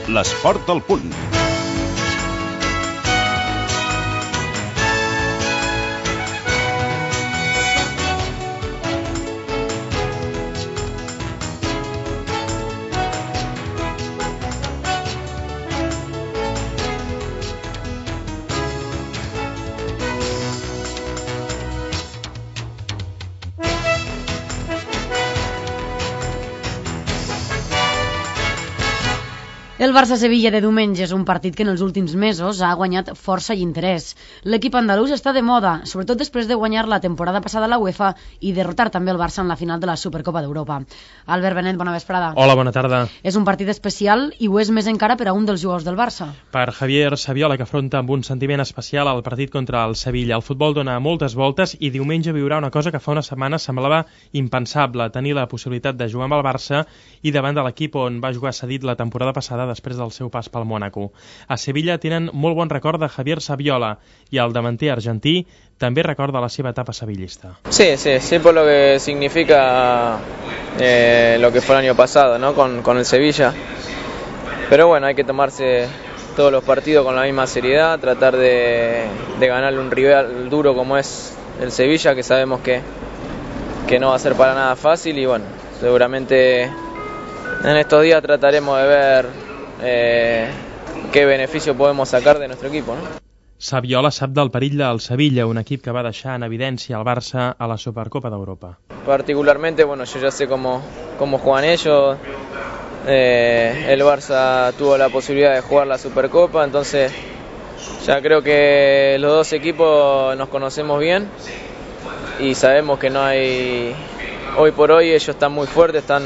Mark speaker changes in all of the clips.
Speaker 1: L'esport al punt.
Speaker 2: El Barça-Sevilla de diumenge és un partit que en els últims mesos ha guanyat força i interès. L'equip andalús està de moda, sobretot després de guanyar la temporada passada a la UEFA i derrotar també el Barça en la final de la Supercopa d'Europa. Albert Benet, bona vesprada.
Speaker 3: Hola, bona tarda.
Speaker 2: És un partit especial i ho és més encara per a un dels jugadors del Barça.
Speaker 3: Per Javier Saviola, que afronta amb un sentiment especial el partit contra el Sevilla. El futbol dona moltes voltes i diumenge viurà una cosa que fa una setmana semblava impensable, tenir la possibilitat de jugar amb el Barça i davant de l'equip on va jugar cedit la temporada passada després del seu pas pel Mónaco. A Sevilla tenen molt bon record de Javier Saviola i el davanter argentí també recorda la seva etapa sevillista.
Speaker 4: Sí, por lo que significa lo que fue el año pasado, ¿no? con el Sevilla. Pero bueno, hay que tomarse todos los partidos con la misma seriedad, tratar de ganarle un rival duro como es el Sevilla, que sabemos que no va a ser para nada fácil y bueno, seguramente en estos días trataremos de ver qué beneficio podemos sacar de nuestro equipo, ¿no?
Speaker 3: Saviola sap del perill del Sevilla, un equip que va deixar en evidència el Barça a la Supercopa d'Europa.
Speaker 4: Particularmente, bueno, yo ya sé cómo juegan ellos. El Barça tuvo la posibilidad de jugar la Supercopa, entonces ya creo que los dos equipos nos conocemos bien y sabemos que no hay... Hoy por hoy ellos están muy fuertes, están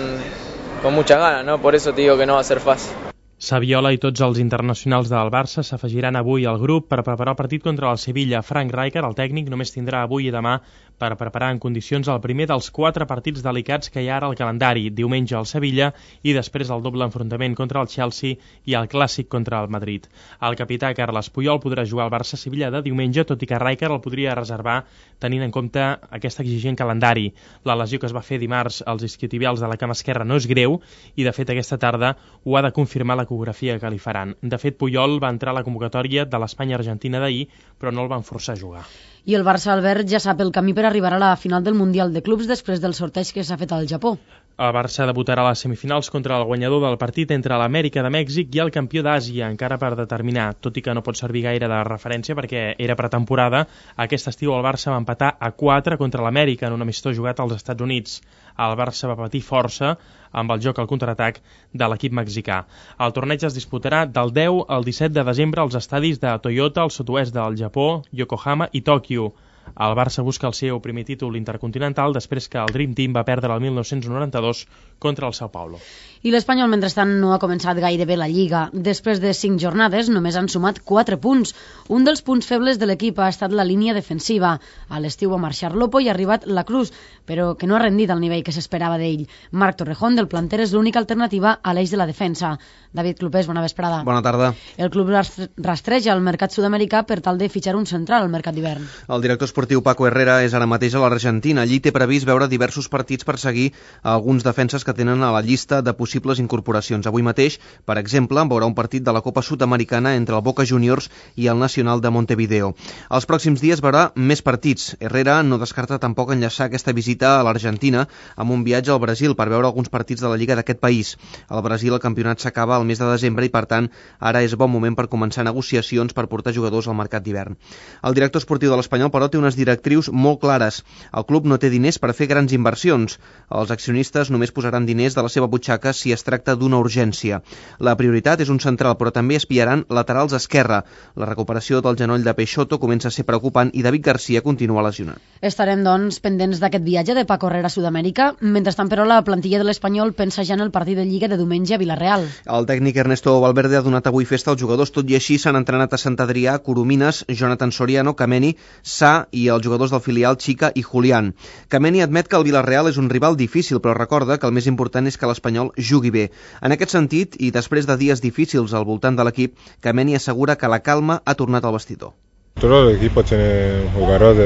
Speaker 4: con muchas ganas, ¿no? Por eso te digo que no va a ser fácil.
Speaker 3: Saviola i tots els internacionals del Barça s'afegiran avui al grup per preparar el partit contra el Sevilla. Frank Rijkaard, el tècnic, només tindrà avui i demà per preparar en condicions el primer dels 4 partits delicats que hi ha ara al calendari. Diumenge al Sevilla i després el doble enfrontament contra el Chelsea i el clàssic contra el Madrid. El capità Carles Puyol podrà jugar al Barça-Sevilla de diumenge, tot i que Rijkaard el podria reservar tenint en compte aquest exigent calendari. La lesió que es va fer dimarts als isquiotibials de la cama esquerra no és greu i, de fet, aquesta tarda ho ha de confirmar l'ecografia que li faran. De fet, Puyol va entrar a la convocatòria de l'Espanya-Argentina d'ahir, però no el van forçar a jugar.
Speaker 2: I el Barça, Albert, ja sap el camí per arribar a la final del Mundial de Clubs després del sorteig que s'ha fet al Japó.
Speaker 3: El Barça debutarà a les semifinals contra el guanyador del partit entre l'Amèrica de Mèxic i el campió d'Àsia, encara per determinar, tot i que no pot servir gaire de referència perquè era pretemporada. Aquest estiu el Barça va empatar a 4 contra l'Amèrica en un amistós jugat als Estats Units. El Barça va patir força amb el joc al contraatac de l'equip mexicà. El torneig es disputarà del 10 al 17 de desembre als estadis de Toyota, al sud-oest del Japó, Yokohama i Tòquio. El Barça busca el seu primer títol intercontinental després que el Dream Team va perdre el 1992 contra el Sao Paulo.
Speaker 2: I l'Espanyol, mentrestant, no ha començat gaire bé la Lliga. Després de 5 jornades, només han sumat 4 punts. Un dels punts febles de l'equip ha estat la línia defensiva. A l'estiu va marxar Lopo i ha arribat la Cruz, però que no ha rendit al nivell que s'esperava d'ell. Marc Torrejón, del planter, és l'única alternativa a l'eix de la defensa. David Clopés, bona vesprada.
Speaker 5: Bona tarda.
Speaker 2: El club rastreja el mercat sud-americà per tal de fitxar un central al mercat d'hivern.
Speaker 5: El director esportiu Paco Herrera és ara mateix a l'Argentina. Allí té previst veure diversos partits per seguir alguns defenses que tenen a la llista de possibles incorporacions. Avui mateix, per exemple, veurà un partit de la Copa Sud-americana entre el Boca Juniors i el Nacional de Montevideo. Els pròxims dies veurà més partits. Herrera no descarta tampoc enllaçar aquesta visita a l'Argentina amb un viatge al Brasil per veure alguns partits de la Lliga d'aquest país. Al Brasil el campionat s'acaba al mes de desembre i, per tant, ara és bon moment per començar negociacions per portar jugadors al mercat d'hivern. El director esportiu de l'Espanyol, però, té unes directrius molt clares. El club no té diners per fer grans inversions. Els accionistes només posaran diners de la seva butxaca si es tracta d'una urgència. La prioritat és un central, però també espiaran laterals esquerra. La recuperació del genoll de Peixoto comença a ser preocupant i David Garcia continua lesionat.
Speaker 2: Estarem, doncs, pendents d'aquest viatge de Paco Herrera a Sud-amèrica. Mentrestant, però, la plantilla de l'Espanyol pensa ja en el partit de Lliga de diumenge a Vilareal.
Speaker 5: El tècnic Ernesto Valverde ha donat avui festa als jugadors, tot i així s'han entrenat a Sant Adrià, Coromines, Jonathan Soriano, Kameni, Sa i els jugadors del filial Chica i Julián. Kameni admet que el Vilareal és un rival difícil, però recorda que el més important és que l'Espanyol jugui bé. En aquest sentit, i després de dies difícils al voltant de l'equip, Kameni assegura que la calma ha tornat al vestidor.
Speaker 6: Todo el equipo tiene jugadores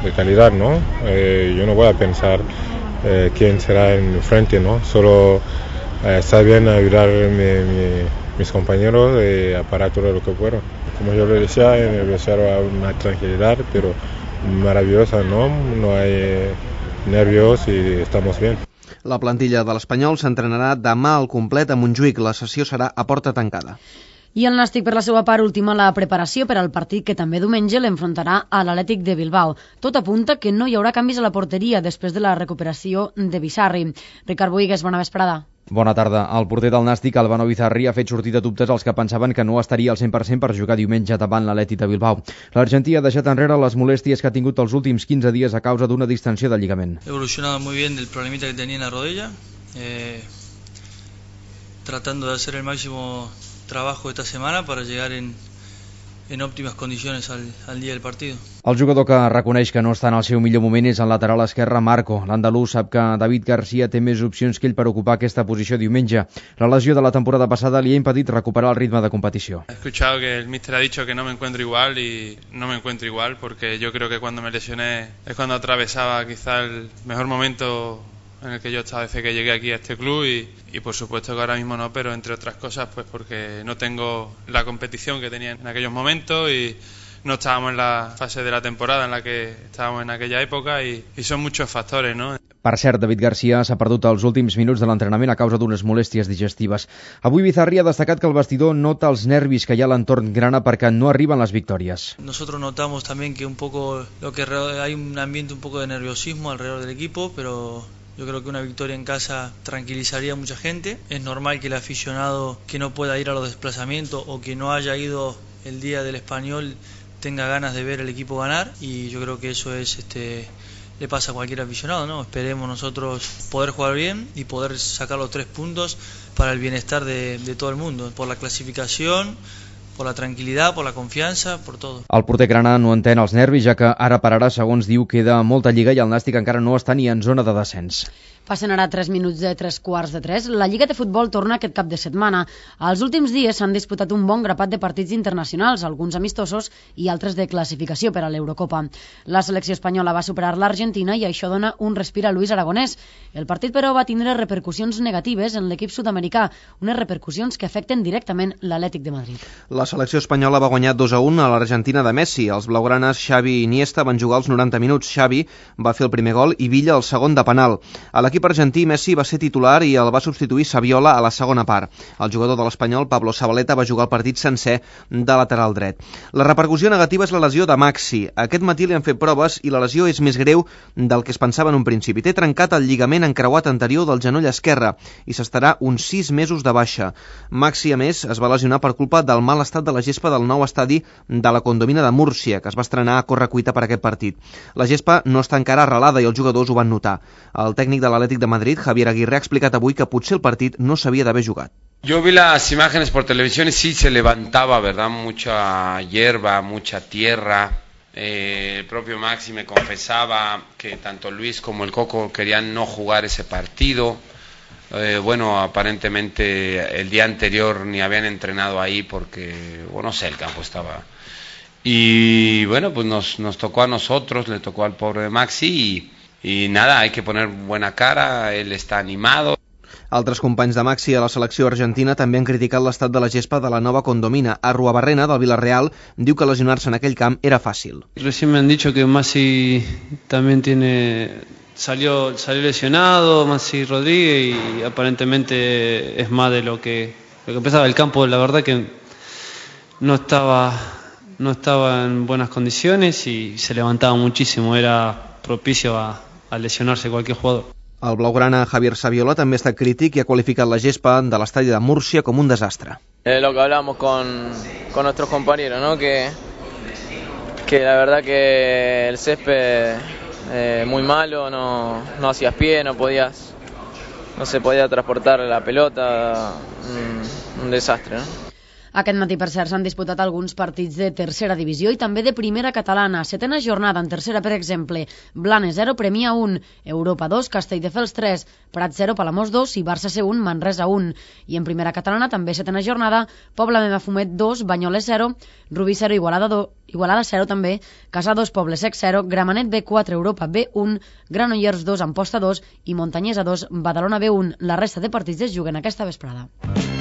Speaker 6: de calidad, ¿no? Yo no voy a pensar quién será en frente, ¿no? Solo está bien ayudar mis compañeros a parar todo lo que fueron. Como yo le decía, en el vestiario hay una tranquilidad, pero maravillosa, ¿no? No hay nervios y estamos bien.
Speaker 5: La plantilla de l'Espanyol s'entrenarà demà al complet a Montjuïc. La sessió serà a porta tancada.
Speaker 2: I el Nàstic, per la seva part, ultima la preparació per al partit que també diumenge l'enfrontarà a l'Atlètic de Bilbao. Tot apunta que no hi haurà canvis a la porteria després de la recuperació de Bizarri. Ricard Boigues, bona vesprada.
Speaker 1: Bona tarda. El porter del Nàstic, Albano Bizarri, ha fet sortir de dubtes els que pensaven que no estaria al 100% per jugar diumenge davant l'Atlètic de Bilbao. L'argentí ha deixat enrere les molèsties que ha tingut els últims 15 dies a causa d'una distensió de lligament.
Speaker 7: He evolucionado muy bien del problemita que tenía en la rodilla, tratando de hacer el máximo trabajo esta semana para llegar en óptimas condiciones al día del partido.
Speaker 1: El jugador que reconeix que no està en el seu millor moment és el lateral esquerre Marco. L'andalús sap que David García té més opcions que ell per ocupar aquesta posició diumenge. La lesió de la temporada passada li ha impedit recuperar el ritme de competició.
Speaker 8: He escuchado que el míster ha dicho que no me encuentro igual y no me encuentro igual porque yo creo que cuando me lesioné es cuando atravesaba quizá el mejor momento en el que yo estaba desde que llegué aquí a este club y por supuesto que ahora mismo no, pero entre otras cosas pues porque no tengo la competición que tenía en aquellos momentos y no estábamos en la fase de la temporada en la que estábamos en aquella época y son muchos factores, ¿no?
Speaker 1: Per cert, David García s'ha perdut els últims minuts de l'entrenament a causa d'unes molèsties digestives. Avui Bizarri ha destacat que el vestidor nota els nervis que hi ha a l'entorn grana perquè no arriben les victòries.
Speaker 7: Nosotros notamos también que un poco hay un ambiente un poco de nerviosismo alrededor del equipo, pero yo creo que una victoria en casa tranquilizaría a mucha gente. Es normal que el aficionado que no pueda ir a los desplazamientos o que no haya ido el día del Español tenga ganas de ver el equipo ganar y yo creo que eso es le pasa a cualquier aficionado, ¿no? Esperemos nosotros poder jugar bien y poder sacar los 3 puntos para el bienestar de todo el mundo, por la clasificación, por la tranquil·litat, per la confiança, per tot.
Speaker 1: El porter grana no entén els nervis, ja que ara per ara, segons diu, queda molta lliga i el Nàstic encara no està ni en zona de descens.
Speaker 2: Passen ara 3 minuts de 3:15. La Lliga de Futbol torna aquest cap de setmana. Els últims dies s'han disputat un bon grapat de partits internacionals, alguns amistosos i altres de classificació per a l'Eurocopa. La selecció espanyola va superar l'Argentina i això dona un respir a Luis Aragonès. El partit, però, va tindre repercussions negatives en l'equip sud-americà, unes repercussions que afecten directament l'Atlètic de Madrid.
Speaker 5: La selecció espanyola va guanyar 2-1 a l'Argentina de Messi. Els blaugranes Xavi i Iniesta van jugar els 90 minuts. Xavi va fer el primer gol i Villa el segon de penal. A l'equip argentí, Messi va ser titular i el va substituir Saviola a la segona part. El jugador de l'Espanyol, Pablo Zabaleta, va jugar el partit sencer de lateral dret. La repercussió negativa és la lesió de Maxi. Aquest matí li han fet proves i la lesió és més greu del que es pensava en un principi. Té trencat el lligament encreuat anterior del genoll esquerre i s'estarà uns 6 mesos de baixa. Maxi, a més, es va lesionar per culpa del mal estat de la gespa del nou estadi de la Condomina de Múrcia, que es va estrenar a correcuita per aquest partit. La gespa no està encara arrelada i els jugadors ho van notar. El tècnic de l'Atlètic de Madrid, Javier Aguirre, ha explicat avui que potser el partit no s'havia d'haver jugat.
Speaker 9: Yo vi las imágenes por televisión y sí se levantaba, ¿verdad? Mucha hierba, mucha tierra. El propio Maxi me confesaba que tanto Luis como el Coco querían no jugar ese partido. Bueno, aparentemente el día anterior ni habían entrenado ahí porque, bueno, no sé, el campo estaba... Y bueno, pues nos tocó a nosotros, le tocó al pobre Maxi y nada, hay que poner buena cara, él está animado.
Speaker 5: Altres companys de Maxi a la selecció argentina també han criticat l'estat de la gespa de la nova Condomina. Arruabarrena, del Villarreal, diu que lesionar-se en aquell camp era fàcil.
Speaker 10: Recién me han dicho que Maxi también salió lesionado, Maxi Rodríguez, y aparentemente es más de lo que pensaba. El campo, la verdad que no estaba en buenas condiciones y se levantaba muchísimo, era propicio a lesionarse cualquier jugador.
Speaker 5: El blaugrana Javier Saviola també ha estat crític i ha qualificat la gespa de l'estadi de Múrcia com un desastre.
Speaker 4: Lo que hablamos con nuestros compañeros, ¿no? Que la verdad que el césped muy malo, no hacías pie, no se podía transportar la pelota, un desastre, ¿no?
Speaker 2: Aquest matí, per cert, s'han disputat alguns partits de tercera divisió i també de primera catalana. Setena jornada en tercera, per exemple, Blanes 0, Premià 1, Europa 2, Castelldefels 3, Prat 0, Palamós 2 i Barça C1, Manresa 1. I en primera catalana, també setena jornada, Pobla de Mafumet 2, Banyoles 0, Rubí 0, Igualada 0 també, Casà 2, Poble Sec 0, Gramenet B4, Europa B1, Granollers 2, Amposta 2 i Montanyesa 2, Badalona B1. La resta de partits es juguen aquesta vesprada.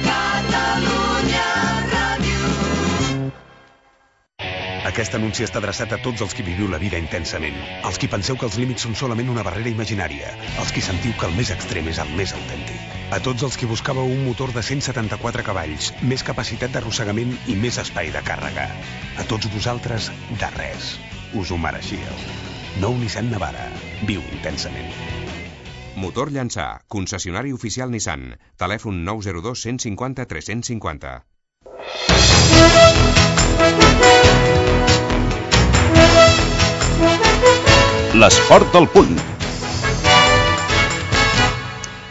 Speaker 2: Catalunya!
Speaker 11: Aquest anunci està adreçat a tots els qui viviu la vida intensament, als qui penseu que els límits són solament una barrera imaginària, als qui sentiu que el més extrem és el més autèntic. A tots els qui buscàveu un motor de 174 cavalls, més capacitat d'arrossegament i més espai de càrrega. A tots vosaltres, de res. Us ho mereixíeu. Nou Nissan Navara. Viu intensament.
Speaker 12: Motor Llançà, concessionari oficial Nissan. Telèfon 902 150 350.
Speaker 13: L'esport al punt.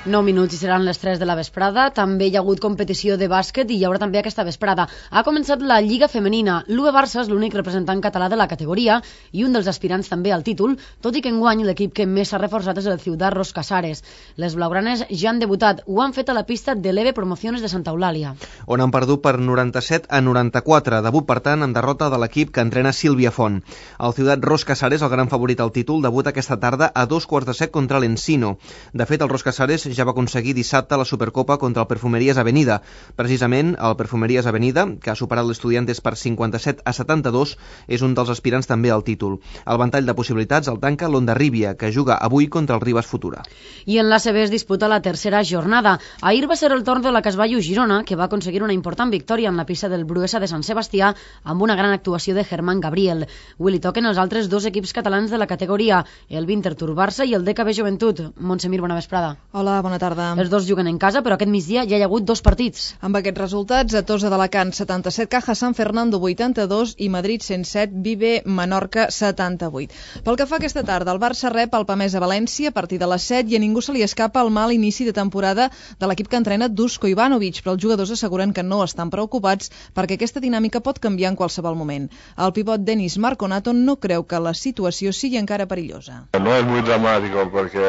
Speaker 2: 9 minuts i seran les 3 de la vesprada. També hi ha hagut competició de bàsquet i hi haurà també aquesta vesprada. Ha començat la Lliga Femenina. L'UB Barça és l'únic representant català de la categoria i un dels aspirants també al títol, tot i que enguany l'equip que més s'ha reforçat és el Ciutat Ros Casares. Les blaugranes ja han debutat. Ho han fet a la pista de l'EVE Promociones de Santa Eulàlia,
Speaker 5: on han perdut per 97-94. Debut, per tant, en derrota de l'equip que entrena Sílvia Font. El Ciutat Ros Casares, el gran favorit al títol, debuta aquesta tarda a 2:15 contra l'Encino. De fet, el Ros Casares ja va aconseguir dissabte la Supercopa contra el Perfumeries Avenida. Precisament, el Perfumeries Avenida, que ha superat l'Estudiantes per 57-72, és un dels aspirants també al títol. El ventall de possibilitats el tanca l'Ondarribia, que juga avui contra el Ribas Futura.
Speaker 2: I en l'ACB es disputa la tercera jornada. Ahir va ser el torn de la Casballo Girona, que va aconseguir una important victòria en la pista del Bruesa de Sant Sebastià amb una gran actuació de Germán Gabriel. Avui li toquen els altres dos equips catalans de la categoria, el Winterthur Barça i el DKB Joventut. Montsemir, bona vesprada.
Speaker 14: Hola, bona tarda.
Speaker 2: Els dos juguen en casa, però aquest migdia ja hi ha hagut dos partits.
Speaker 14: Amb aquests resultats, a Tosa d'Alacant 77, Caja San Fernando 82 i Madrid 107, Vive Menorca 78. Pel que fa aquesta tarda, el Barça rep el Pamesa València a partir de les 7 i a ningú se li escapa el mal inici de temporada de l'equip que entrena Dusko Ivanovic, però els jugadors asseguren que no estan preocupats perquè aquesta dinàmica pot canviar en qualsevol moment. El pivot Denis Marconato no creu que la situació sigui encara perillosa.
Speaker 15: No es muy dramático porque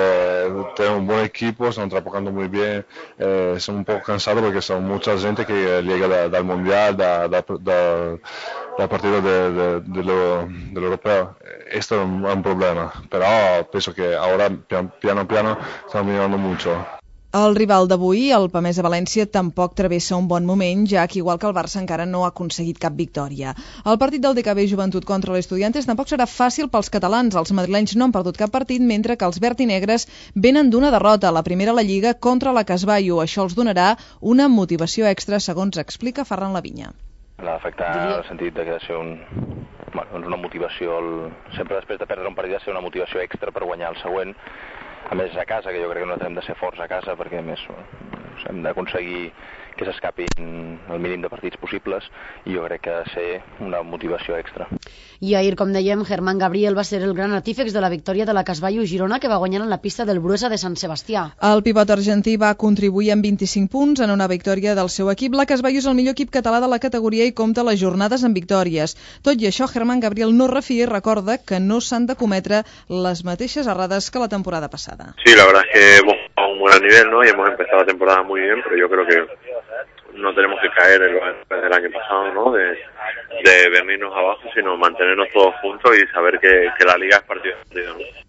Speaker 15: tenemos un buen equipo, estamos trabajando muy bien, son un poco cansados porque son mucha gente que llega del Mundial, del partido del Europeo. Esto es un problema, pero pienso que ahora piano a piano estamos mirando mucho.
Speaker 14: El rival d'avui, el Pamesa València, tampoc travessa un bon moment, ja que igual que el Barça encara no ha aconseguit cap victòria. El partit del DKB Joventut contra l'Estudiantes tampoc serà fàcil pels catalans. Els madrilenys no han perdut cap partit, mentre que els verd i negres venen d'una derrota, la primera a la Lliga contra la Casballo. Això els donarà una motivació extra, segons explica Ferran Lavinya.
Speaker 16: L'afectar en el sentit de ser una motivació, sempre després de perdre un partit, ser una motivació extra per guanyar el següent. A més, a casa, que jo crec que nosaltres hem de ser forts a casa perquè, a més, hem d'aconseguir que s'escapin el mínim de partits possibles i jo crec que ha de ser una motivació extra.
Speaker 2: I ahir, com dèiem, Germán Gabriel va ser el gran artífex de la victòria de la Casballo Girona, que va guanyar en la pista del Bruesa de Sant Sebastià.
Speaker 14: El pivot argentí va contribuir amb 25 punts en una victòria del seu equip. La Casballo és el millor equip català de la categoria i compta les jornades amb victòries. Tot i això, Germán Gabriel no refia i recorda que no s'han de cometre les mateixes errades que la temporada passada.
Speaker 17: Sí, la verdad es que hemos jugado a un buen nivel, ¿no? Y hemos empezado la temporada muy bien, pero yo creo que no tenemos que caer en lo del año pasado, ¿no? De venirnos abajo, sino mantenernos todos juntos y saber que la liga es partido a partido, ¿no?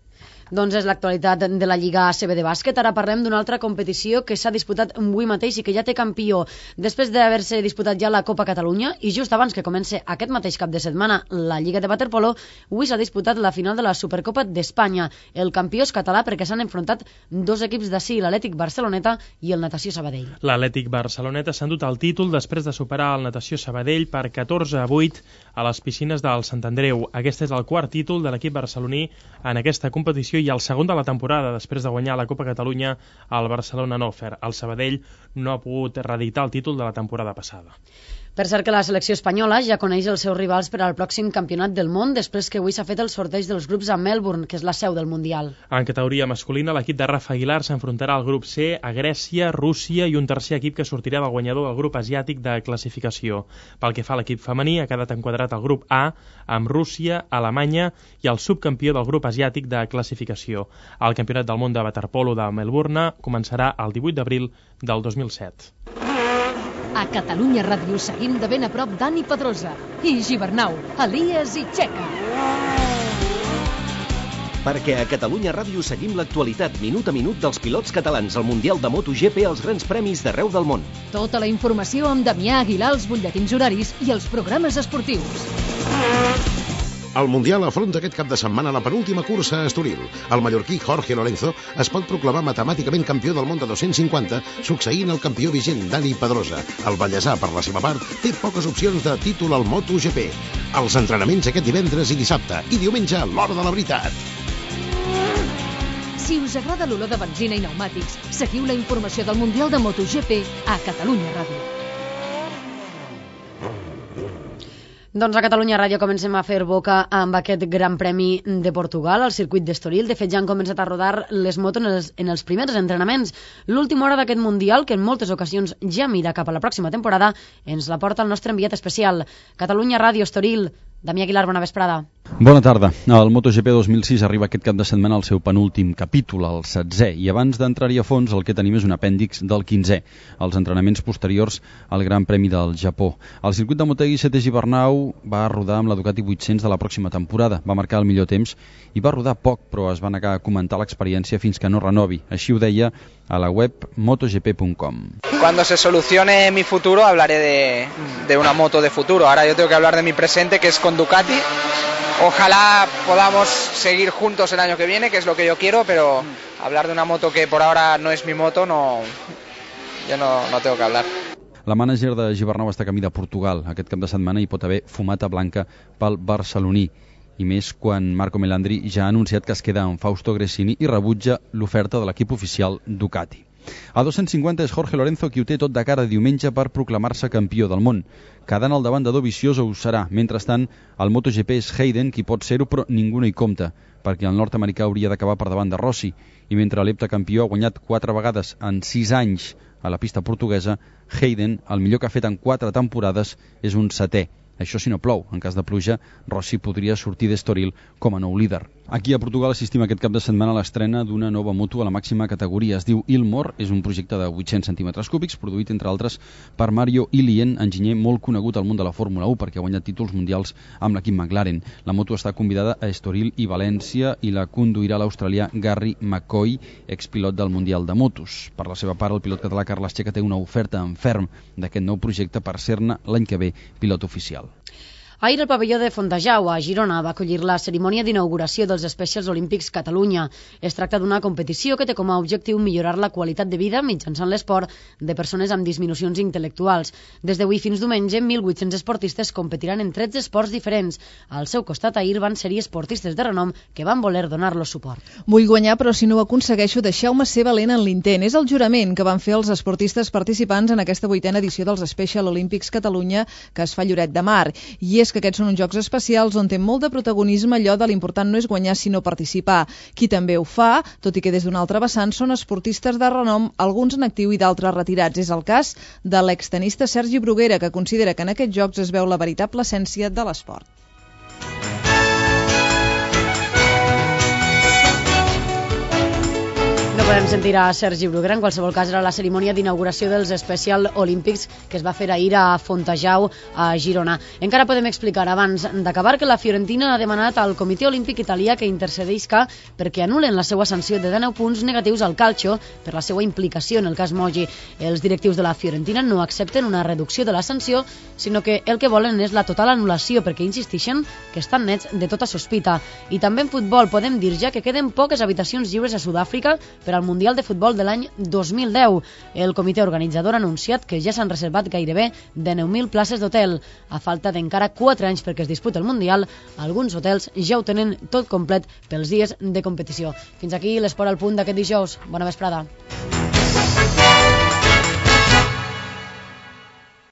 Speaker 2: Doncs és l'actualitat de la Lliga ACB de bàsquet. Ara parlem d'una altra competició que s'ha disputat avui mateix i que ja té campió. Després d'haver-se disputat ja la Copa Catalunya i just abans que comenci aquest mateix cap de setmana la Lliga de waterpolo, avui s'ha disputat la final de la Supercopa d'Espanya. El campió és català perquè s'han enfrontat dos equips d'ací, l'Atlètic Barceloneta i el Natació Sabadell.
Speaker 3: L'Atlètic Barceloneta s'ha endut el títol després de superar el Natació Sabadell per 14-8 a les piscines del Sant Andreu. Aquest és el quart títol de l'equip barceloní en aquesta competició i el segon de la temporada, després de guanyar la Copa Catalunya al Barcelona Nofer. El Sabadell no ha pogut reeditar el títol de la temporada passada.
Speaker 2: Per cert que la selecció espanyola ja coneix els seus rivals per al pròxim campionat del món, després que avui s'ha fet el sorteig dels grups a Melbourne, que és la seu del Mundial.
Speaker 3: En categoria masculina, l'equip de Rafa Aguilar s'enfrontarà al grup C a Grècia, Rússia i un tercer equip que sortirà del guanyador del grup asiàtic de classificació. Pel que fa a l'equip femení, ha quedat enquadrat al grup A amb Rússia, Alemanya i el subcampió del grup asiàtic de classificació. El campionat del món de waterpolo de Melbourne començarà el 18 d'abril del 2007.
Speaker 18: A Catalunya Ràdio seguim de ben a prop Dani Pedrosa i Gibernau, Elias i Txeca.
Speaker 13: Perquè a Catalunya Ràdio seguim l'actualitat minut a minut dels pilots catalans al Mundial de MotoGP als grans premis d'arreu del món.
Speaker 18: Tota la informació amb Damià Aguilar, els butlletins horaris i els programes esportius.
Speaker 19: El Mundial afronta aquest cap de setmana la penúltima cursa a Estoril. El mallorquí Jorge Lorenzo es pot proclamar matemàticament campió del món de 250, succeint el campió vigent Dani Pedrosa. El vallesà, per la seva part, té poques opcions de títol al MotoGP. Els entrenaments aquest divendres i dissabte, i diumenge l'hora de la veritat.
Speaker 18: Si us agrada l'olor de benzina i pneumàtics, seguiu la informació del Mundial de MotoGP a Catalunya Ràdio.
Speaker 2: Doncs a Catalunya Ràdio comencem a fer boca amb aquest Gran Premi de Portugal al circuit d'Estoril. De fet, ja han començat a rodar les motos en els primers entrenaments. L'última hora d'aquest Mundial, que en moltes ocasions ja mira cap a la pròxima temporada, ens la porta el nostre enviat especial. Catalunya Ràdio Estoril. Damià Aguilar, bona vesprada.
Speaker 20: Bona tarda. El MotoGP 2006 arriba aquest cap de setmana al seu penúltim capítol, el 7è, i abans d'entrar-hi a fons el que tenim és un apèndix del 15è, els entrenaments posteriors al Gran Premi del Japó. El circuit de Motegi Sete Gibernau va rodar amb la Ducati 800 de la pròxima temporada, va marcar el millor temps i va rodar poc, però es va negar a comentar l'experiència fins que no renovi. Així ho deia a la web motogp.com.
Speaker 21: Cuando se solucione mi futuro hablaré de una moto de futuro. Ahora yo tengo que hablar de mi presente, que es con Ducati. Ojalá podamos seguir juntos el año que viene, que es lo que yo quiero, pero hablar de una moto que por ahora no es mi moto, yo no tengo que hablar.
Speaker 20: La mànager de Gibernau està camí de Portugal. Aquest cap de setmana hi pot haver fumata blanca pel barceloní, i més quan Marco Melandri ja ha anunciat que es queda amb Fausto Gresini i rebutja l'oferta de l'equip oficial Ducati. A 250 és Jorge Lorenzo qui ho té tot de cara diumenge per proclamar-se campió del món. Quedant al davant de Dovizioso ho serà. Mentrestant, el MotoGP és Hayden qui pot ser-ho, però ningú no hi compta, perquè el nord-americà hauria d'acabar per davant de Rossi. I mentre l'heptacampió ha guanyat 4 vegades en 6 anys a la pista portuguesa, Hayden, el millor que ha fet en 4 temporades, és un 7è. Això si no plou. En cas de pluja, Rossi podria sortir d'Estoril com a nou líder. Aquí a Portugal assistim aquest cap de setmana a l'estrena d'una nova moto a la màxima categoria. Es diu Ilmor, és un projecte de 800 centímetres cúbics, produït, entre altres, per Mario Ilien, enginyer molt conegut al món de la Fórmula 1 perquè ha guanyat títols mundials amb l'equip McLaren. La moto està convidada a Estoril i València i la conduirà l'australià Gary McCoy, expilot del Mundial de Motos. Per la seva part, el pilot català Carles Checa té una oferta en ferm d'aquest nou projecte per ser-ne l'any que ve pilot oficial.
Speaker 2: Ahir el pavelló de Fontejau, a Girona, va acollir la cerimònia d'inauguració dels Specials Olímpics Catalunya. Es tracta d'una competició que té com a objectiu millorar la qualitat de vida mitjançant l'esport de persones amb disminucions intel·lectuals. Des d'avui fins diumenge, 1.800 esportistes competiran en 13 esports diferents. Al seu costat, ahir van ser-hi esportistes de renom que van voler donar-los suport.
Speaker 14: Vull guanyar, però si no ho aconsegueixo, deixeu-me ser valent en l'intent. És el jurament que van fer els esportistes participants en aquesta 8a edició dels Special Olímpics Catalunya que es fa a Lloret de Mar. I és que aquests són uns jocs especials on té molt de protagonisme allò de l'important no és guanyar sinó participar. Qui també ho fa, tot i que des d'una altra vessant, són esportistes de renom, alguns en actiu i d'altres retirats. És el cas de l'extenista Sergi Bruguera, que considera que en aquests jocs es veu la veritable essència de l'esport.
Speaker 2: No podem sentir a Sergi Bruguera, en qualsevol cas era la cerimònia d'inauguració dels Special Olímpics que es va fer ahir a Fontejau, a Girona. Encara podem explicar, abans d'acabar, que la Fiorentina ha demanat al Comitè Olímpic Italià que intercedisca perquè anulen la seva sanció de 19 punts negatius al calcio per la seva implicació en el cas Moggi. Els directius de la Fiorentina no accepten una reducció de la sanció, sinó que el que volen és la total anul·lació, perquè insistixen que estan nets de tota sospita. I també en futbol podem dir ja que queden poques habitacions lliures a Sud-àfrica per al Mundial de Futbol de l'any 2010. El comitè organitzador ha anunciat que ja s'han reservat gairebé 19.000 places d'hotel. A falta d'encara 4 anys perquè es disputi el Mundial, alguns hotels ja ho tenen tot complet pels dies de competició. Fins aquí l'esport al punt d'aquest dijous. Bona vesprada.